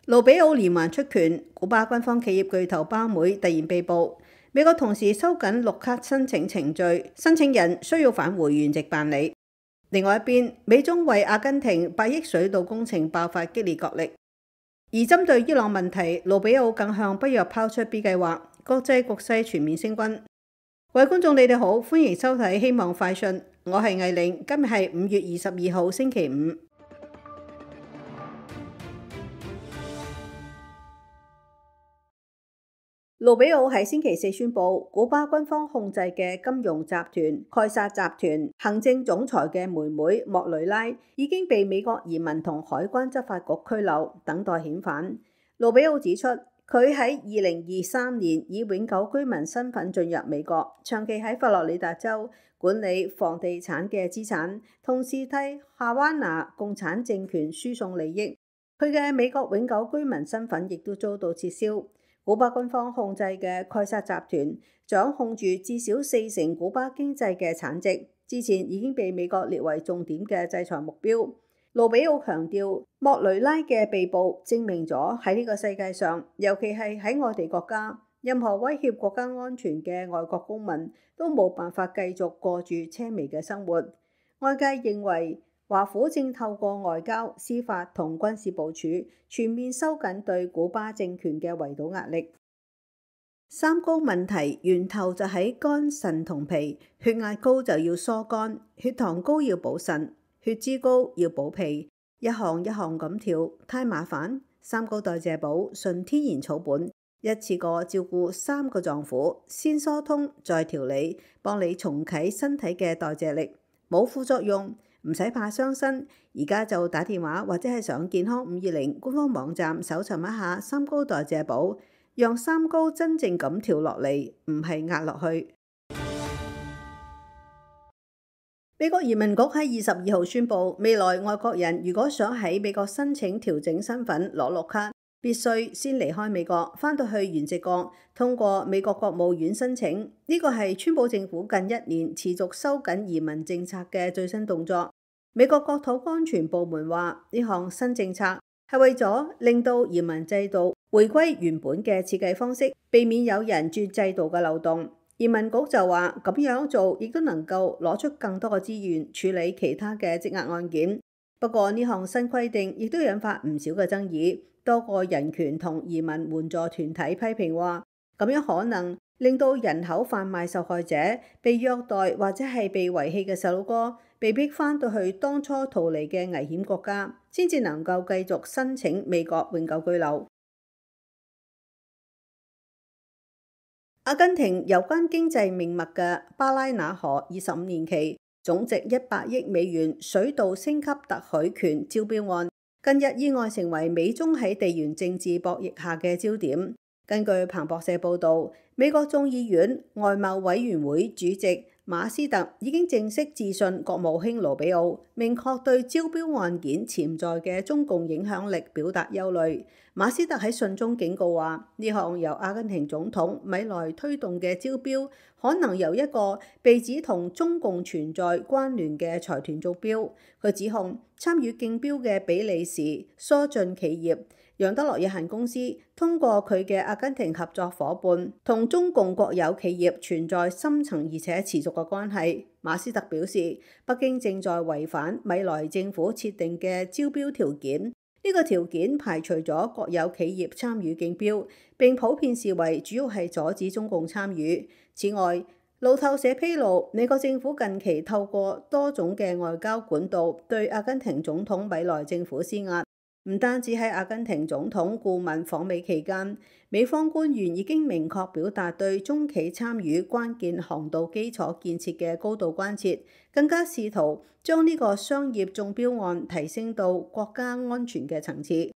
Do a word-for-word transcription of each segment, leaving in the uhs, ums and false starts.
盧比奧連環出拳，古巴軍方企業巨頭巴妹突然被捕。美國同時收緊綠卡申請程序，申請人需要返回原籍辦理。另外一邊，美中為阿根廷百億水道工程爆發激烈角力。而針對伊朗問題，盧比奧更向北約拋出 B 計劃，國際局勢全面升溫。各位觀眾，你哋好，歡迎收睇希望快訊，我係藝玲，今日係五月二十二號星期五。盧比奧喺星期四宣布，古巴軍方控制嘅金融集團蓋薩集團行政總裁嘅妹妹莫雷拉已經被美國移民同海關執法局拘留，等待遣返。盧比奧指出，佢喺二零二三年以永久居民身份進入美國，長期喺佛羅里達州管理房地產嘅資產，同時替夏灣拿共產政權輸送利益。佢嘅美國永久居民身份亦都遭到撤銷。古巴軍方控制嘅蓋薩集團掌控住至少四成古巴經濟嘅產值，之前已經被美國列為重點嘅制裁目標。盧比奧強調，莫雷拉嘅被捕證明咗喺呢個世界上，尤其係喺我哋國家，任何威脅國家安全嘅外國公民都冇辦法繼續過住奢靡嘅生活。外界認為，華府正透過外交、司法同軍事部署，全面收緊對古巴政權嘅圍堵壓力。三高問題源頭就喺肝、腎同脾，血壓高就要疏肝，血糖高要補腎，血脂高要補脾，一項一項咁調，太麻煩。三高代謝寶純天然草本，一次過照顧三個臟腑，先疏通再調理，幫你重啟身體嘅代謝力，冇副作用。唔使怕傷身，而家就打電話或者係上健康五二零官方網站搜尋一下三高代謝寶，讓三高真正咁調落嚟，唔係壓落去。美國移民局喺二十二號宣布，未來外國人如果想喺美國申請調整身份攞綠卡，必須先離開美國，返到去原籍國，通過美國國務院申請。呢個係川普政府近一年持續收緊移民政策嘅最新動作。美國國土安全部門話，呢項新政策係為咗令到移民制度回歸原本嘅設計方式，避免有人鑽制度嘅漏洞。移民局就話，咁樣做亦都能夠攞出更多嘅資源處理其他嘅積壓案件。不過呢項新規定亦都引發唔少嘅爭議。多個人權同移民援助團體批評話，咁樣可能令到人口販賣受害者、被虐待或者係被遺棄嘅細路哥，被逼返到去當初逃離嘅危險國家，先至能夠繼續申請美國永久居留。阿根廷有關經濟命脈嘅巴拉那河二十五年期、總值一百億美元水道升級特許權招標案，近日意外成為美中喺地緣政治博弈下嘅焦點。根據彭博社報導，美國眾議院外貿委員會主席馬斯特已經正式致信國務卿盧比奧，明確對招標案件潛在嘅中共影響力表達憂慮。馬斯特喺信中警告話，呢項由阿根廷總統米萊推動嘅招標，可能由一個被指同中共存在關聯嘅財團中標。佢指控參與競標嘅比利時疏浚企業楊德樂有限公司通過佢嘅阿根廷合作伙伴，同中共國有企業存在深層而且持續嘅關係。馬斯特表示，北京正在違反米萊政府設定嘅招標條件。呢個條件排除咗國有企業參與競標，並普遍視為主要係阻止中共參與。此外，路透社披露，美國政府近期透過多種嘅外交管道對阿根廷總統米萊政府施壓。唔單止喺阿根廷總統顧問訪美期間，美方官員已經明確表達對中企參與關鍵航道基礎建設嘅高度關切，更加試圖將呢個商業中標案提升到國家安全嘅層次。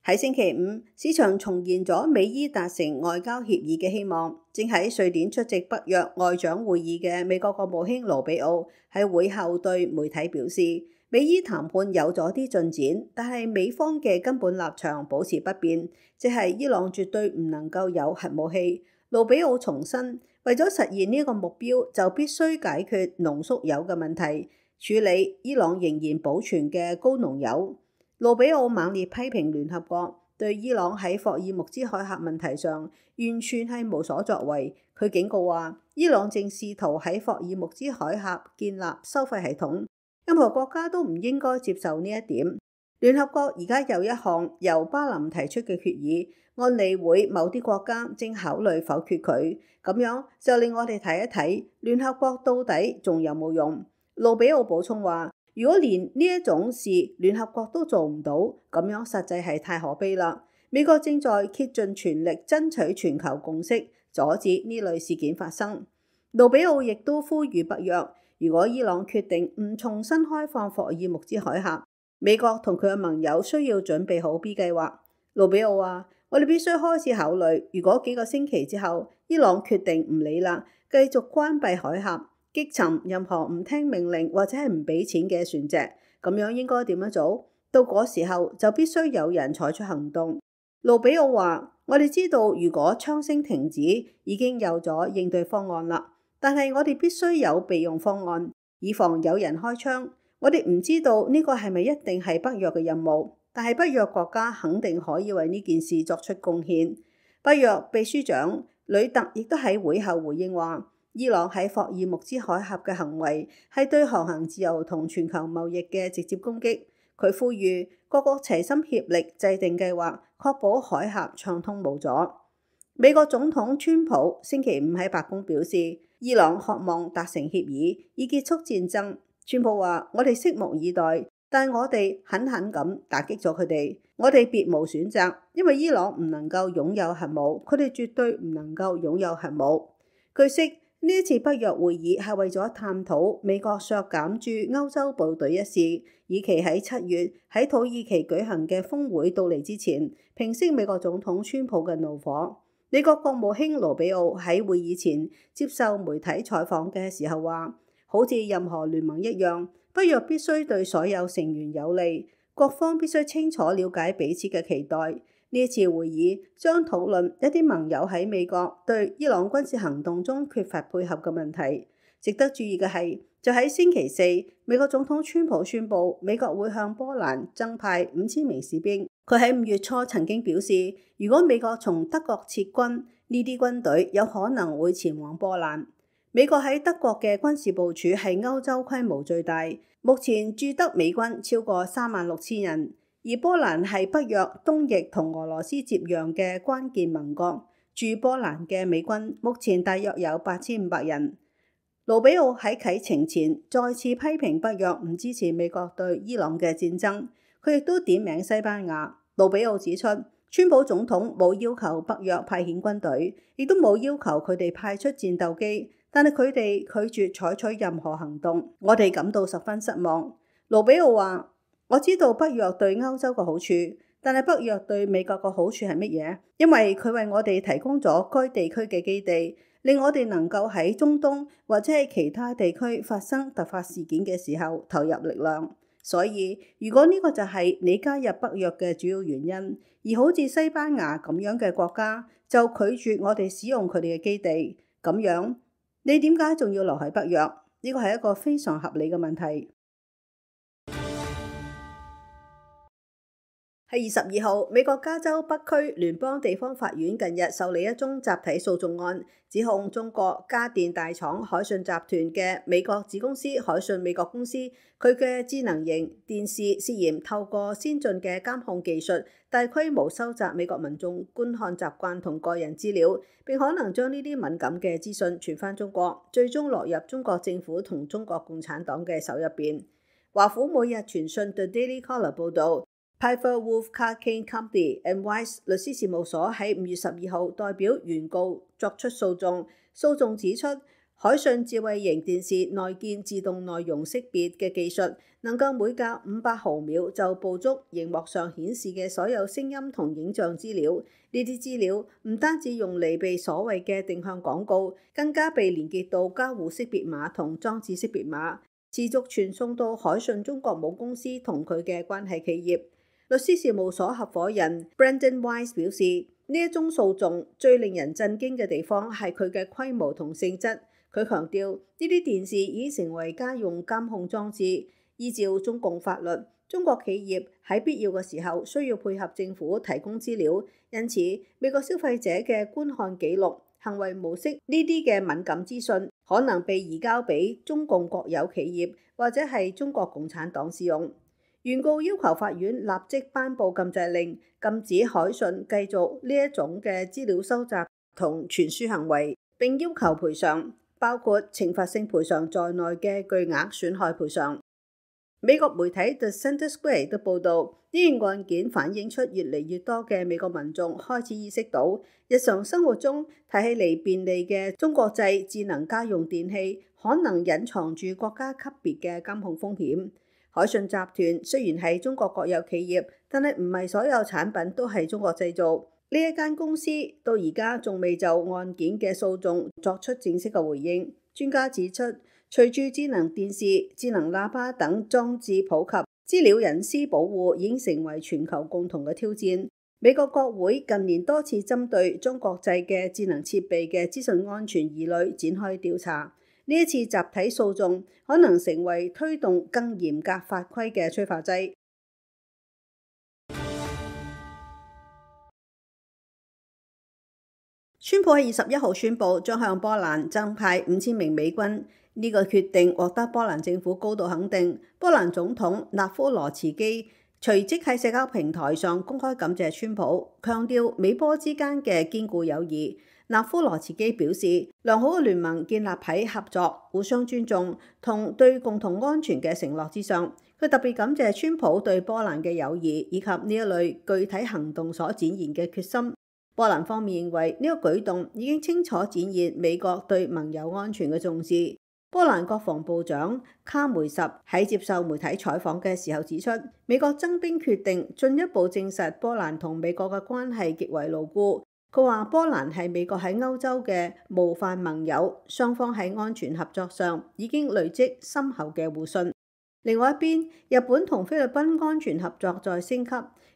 喺星期五，市場重現咗美伊達成外交協議嘅希望。正喺瑞典出席北約外長會議嘅美國國務卿盧比奧喺會後對媒體表示，美伊談判有咗啲進展，但係美方嘅根本立場保持不變，即係伊朗絕對唔能夠有核武器。盧比奧重申，為咗實現呢個目標，就必須解決濃縮鈾嘅問題。處理伊朗仍然保存嘅高濃鈾。盧比奧猛烈批評聯合國對伊朗喺霍爾木茲海峽問題上完全係無所作為。佢警告話，伊朗正試圖喺霍爾木茲海峽建立收費系統，任何國家都唔應該接受呢一點。聯合國而家有一項由巴林提出嘅決議，安理會某啲國家正考慮否決佢，咁樣就令我哋睇一睇聯合國到底仲有冇用。盧比奧補充話，如果連呢一種事聯合國都做唔到，咁樣實際係太可悲啦。美國正在竭盡全力爭取全球共識，阻止呢類事件發生。盧比奧亦都呼籲北約，如果伊朗決定唔重新開放霍爾木茲海峽，美國同佢嘅盟友需要準備好 B 計劃。盧比奧話，我哋必須開始考慮，如果幾個星期之後伊朗決定唔理啦，繼續關閉海峽，擊沉任何唔聽命令或者係唔俾錢嘅船隻，咁樣應該點樣做？到嗰時候就必須有人採取行動。盧比奧話，我哋知道如果槍聲停止，已經有咗應對方案啦，但係我哋必須有備用方案，以防有人開槍。我哋唔知道呢個係咪一定係北約嘅任務，但係北約國家肯定可以為呢件事作出貢獻。北約秘書長呂特亦都喺會後回應話，伊朗喺霍爾木茲海峽嘅行為係對航行自由同全球貿易嘅直接攻擊。佢呼籲各國齊心協力制定計劃，確保海峽暢通無阻。美國總統川普星期五喺白宮表示，伊朗渴望達成協議，以結束戰爭。川普話，我哋拭目以待，但我哋狠狠咁打擊咗佢哋。我哋別無選擇，因為伊朗唔能夠擁有核武，佢哋絕對唔能夠擁有核武。據悉，呢一次北約會議係為咗探討美國削減駐歐洲部隊一事，以期喺七月喺土耳其舉行嘅峰會到嚟之前，平息美國總統川普嘅怒火。美國國務卿盧比奧喺會議前接受媒體採訪嘅時候話，好似任何聯盟一樣，北約必須對所有成員有利，各方必須清楚了解彼此嘅期待。呢一次會議將討論一啲盟友喺美國對伊朗軍事行動中缺乏配合嘅問題。值得注意嘅係，就喺星期四，美國總統川普宣布美國會向波蘭增派五千名士兵。佢喺五月初曾經表示，如果美國從德國撤軍，呢啲軍隊有可能會前往波蘭。美國喺德國嘅軍事部署係歐洲規模最大，目前駐德美軍超過三萬六千人，而波蘭係北約東翼同俄羅斯接壤嘅關鍵盟國，駐波蘭嘅美軍目前大約有八千五百人。盧比奧喺啟程前再次批評北約唔支持美國對伊朗嘅戰爭，佢亦都點名西班牙。盧比奧指出，川普總統冇要求北約派遣軍隊，亦都冇要求佢哋派出戰鬥機。但係佢哋拒絕採取任何行動，我哋感到十分失望。盧比奧話，我知道北約對歐洲嘅好處，但係北約對美國嘅好處係乜嘢？因為佢為我哋提供咗該地區嘅基地，令我哋能夠喺中東或者係其他地區發生突發事件嘅時候投入力量。所以如果呢個就係你加入北約嘅主要原因，而好似西班牙咁樣嘅國家就拒絕我哋使用佢哋嘅基地，咁樣你點解仲要留喺北約？呢個係一個非常合理嘅問題。喺二十二號，美國加州北區聯邦地方法院近日受理一宗集體訴訟案，指控中國家電大廠海信集團嘅美國子公司海信美國公司，佢嘅智能型電視涉嫌透過先進嘅監控技術，大規模收集美國民眾觀看習慣同個人資料，並可能將呢啲敏感嘅資訊傳返中國，最終落入中國政府同中國共產黨嘅手入邊。華府每日傳訊 The Daily Caller 報導。Piper Wolf Carcane Company and Weiss 律師事務所喺五月十二號代表原告作出訴訟。訴訟指出，海信智慧型電視內建自動內容識別嘅技術，能夠每隔五百毫秒就捕捉熒幕上顯示嘅所有聲音同影像資料。呢啲資料唔單止用嚟被所謂嘅定向廣告，更加被連結到交互識別碼同裝置識別碼，持續傳送到海信中國母公司同佢嘅關係企業。律師事務所合夥人 Brandon Weiss 表示，呢一宗訴訟最令人震驚嘅地方係佢嘅規模同性質。佢強調呢啲電視已經成為家用監控裝置，依照中共法律，中國企業喺必要嘅時候需要配合政府提供資料，因此美國消費者嘅觀看記錄、行為模式呢啲嘅敏感資訊可能被移交俾中共國有企業或者係中國共產黨使用。原告要求法院立即頒布禁制令，禁止海信繼續呢一種嘅資料收集同傳輸行為，並要求賠償，包括懲罰性賠償在內嘅巨額損害賠償。美國媒體 The Center Square 都報導，呢件案件反映出越嚟越多嘅美國民眾開始意識到，日常生活中睇起嚟便利嘅中國製智能家用電器，可能隱藏住國家級別嘅監控風險。海信集團雖然係中國國有企業，但係唔係所有產品都係中國製造。呢一間公司到而家仲未就案件嘅訴訟作出正式嘅回應。專家指出，隨住智能電視、智能喇叭等裝置普及，資料隱私保護已經成為全球共同嘅挑戰。美國國會近年多次針對中國製嘅智能設備嘅資訊安全疑慮展開調查。呢一次集體訴訟可能成為推動更嚴格法規嘅催化劑。川普喺二十一號宣布將向波蘭增派五千名美軍，呢、這個決定獲得波蘭政府高度肯定。波蘭總統納夫羅茨基隨即喺社交平台上公開感謝川普，強調美波之間嘅堅固友誼。納夫羅茨基表示，良好嘅聯盟建立喺合作、互相尊重同對共同安全嘅承諾之上。佢特別感謝川普對波蘭嘅友誼以及呢一類具體行動所展現嘅決心。波蘭方面認為呢個舉動已經清楚展現美國對盟友安全嘅重視。波蘭國防部長卡梅什喺接受媒體採訪嘅時候指出，美國增兵決定進一步證實波蘭同美國嘅關係極為牢固。佢話波蘭係美國喺歐洲嘅模範盟友，雙方喺安全合作上已經累積深厚嘅互信。另外一邊，日本同菲律賓安全合作在升級。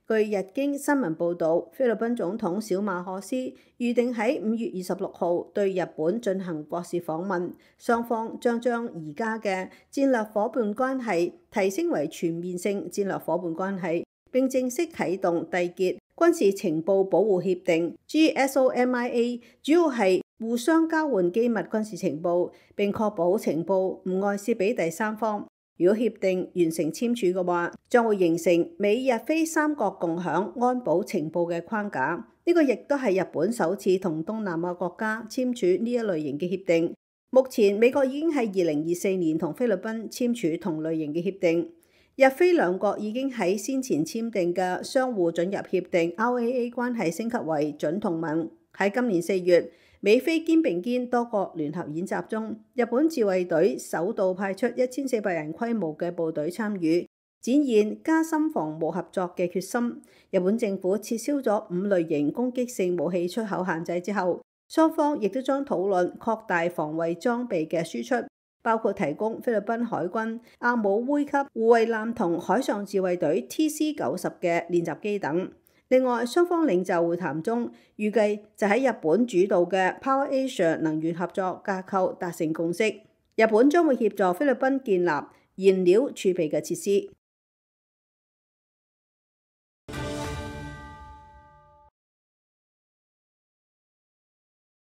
據日經新聞報導，菲律賓總統小馬可斯預定喺五月二十六號對日本進行國事訪問，雙方將將而家嘅戰略夥伴關係提升為全面性戰略夥伴關係，並正式啟動締結軍事情報保護協定 G S O M I A， 主要係互相交換機密軍事情報，並確保情報唔外泄俾第三方。如果協定完成簽署嘅話，將會形成美日菲三國共享安保情報嘅框架。呢個亦都係日本首次同東南亞國家簽署呢一類型嘅協定。目前美國已經喺二零二四年同菲律賓簽署同類型嘅協定。日菲兩國已經喺先前簽訂嘅相互准入協定 R A A 關係升級為準同盟。喺今年四月，美菲肩並肩多國聯合演習中，日本自衛隊首度派出一千四百人規模嘅部隊參與，展現加深防務合作嘅決心。日本政府撤銷咗五類型攻擊性武器出口限制之後，雙方亦都將討論擴大防衛裝備嘅輸出，包括提供菲律賓海軍阿姆灰級護衛艦同海上自衛隊 T C 九十嘅練習機等。另外，雙方領袖會談中預計就喺日本主導嘅 Power Asia 能源合作架構達成共識。日本將會協助菲律賓建立燃料儲備嘅設施。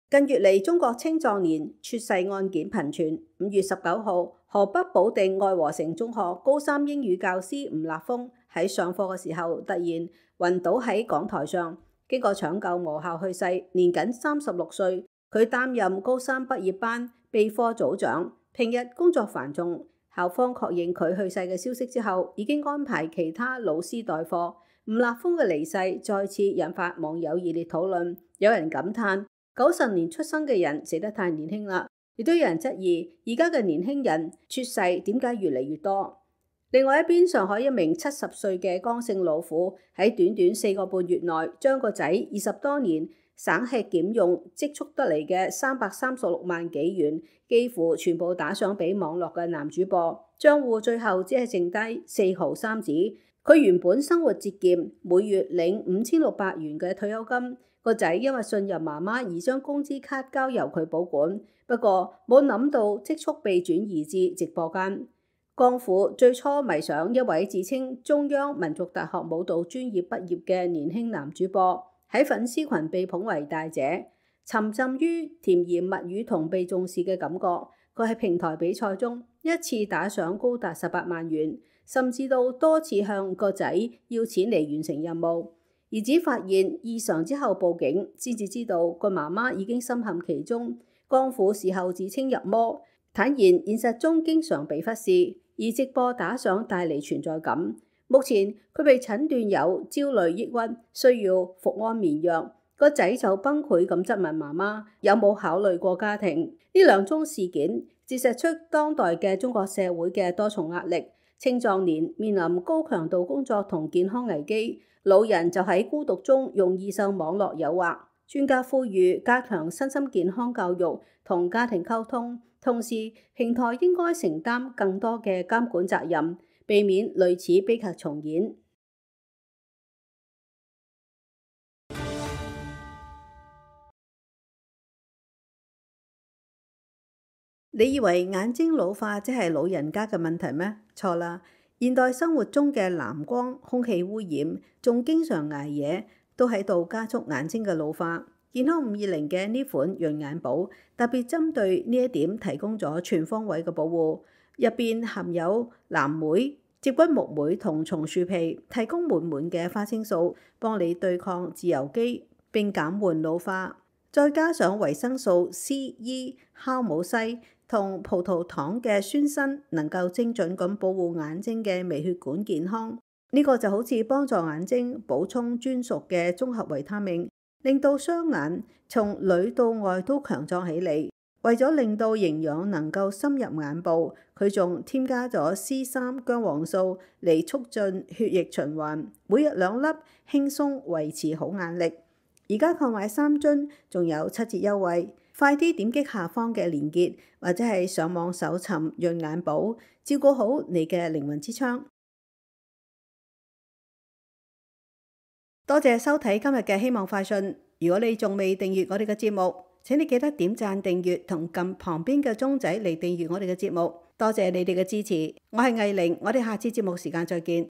近月嚟，中國青壯年猝逝案件頻傳。五月十九號，河北保定愛和城中學高三英語教師吳立峰喺上課嘅時候突然暈倒喺講台上，經過搶救無效去世，年僅三十六歲。佢擔任高三畢業班備課組長，平日工作繁重。校方確認佢去世嘅消息之後，已經安排其他老師代課。吳立峰嘅離世再次引發網友熱烈討論，有人感嘆九十年出生嘅人死得太年輕啦，亦都有人質疑而家嘅年輕人猝逝點解越嚟越多。另外一邊，上海一名七十歲嘅江姓老婦喺短短四個半月內，將個仔二十多年省吃儉用積蓄得嚟嘅三百三十六萬幾元，幾乎全部打賞俾網絡嘅男主播，賬戶最後只係剩低四毫三紙。佢原本生活節儉，每月領五千六百元嘅退休金，個仔因為信任媽媽而將工資卡交由佢保管，不過冇諗到積蓄被轉移至直播間。江虎最初迷上一位自稱中央民族大學舞蹈專業畢業嘅年輕男主播，喺粉絲群被捧為大姐，沉浸於甜言蜜語同被重視嘅感覺。佢喺平台比賽中一次打賞高達十八萬元，甚至到多次向個仔要錢嚟完成任務。兒子發現異常之後報警，先至知道個媽媽已經深陷其中。江虎事後自稱入魔，坦言現實中經常被忽視，而直播打賞帶嚟存在感。目前佢被診斷有焦慮抑鬱，需要服安眠藥。個仔就崩潰咁質問媽媽有冇考慮過家庭。呢兩宗事件折射出當代嘅中國社會嘅多重壓力。青壯年面臨高強度工作同健康危機，老人就喺孤獨中容易受網絡誘惑。專家呼籲加強身心健康教育同家庭溝通，同時平台應該承擔更多嘅監管責任，避免類似悲劇重演。你以為眼睛老化即係老人家嘅問題咩？錯啦！現代生活中嘅藍光、空氣污染，仲經常捱夜，都喺度加速眼睛嘅老化。健康五二零嘅呢款潤眼寶特別針對呢一點提供咗全方位嘅保護，入邊含有藍莓、接骨木莓同松樹皮，提供滿滿嘅花青素，幫你對抗自由基並減緩老化。再加上維生素 C、E、酵母西同葡萄糖嘅酸鋅，能夠精準咁保護眼睛嘅微血管健康。呢個就好似幫助眼睛補充專屬嘅綜合維他命，令到雙眼從裏到外都強壯起嚟。為咗令到營養能夠深入眼部，佢仲添加咗 C 三 薑黃素嚟促進血液循環，每日兩粒，輕鬆維持好眼力。而家購買三樽仲有七折優惠，快啲點擊下方嘅連結，或者係上網搜尋潤眼寶，照顧好你嘅靈魂之窗。多謝收睇今日嘅希望快訊。如果你仲未訂閱我哋嘅節目，請你記得點讚訂閱同撳旁邊嘅鐘仔嚟訂閱我哋嘅節目。多謝你哋嘅支持，我係藝玲，我哋下次節目時間再見。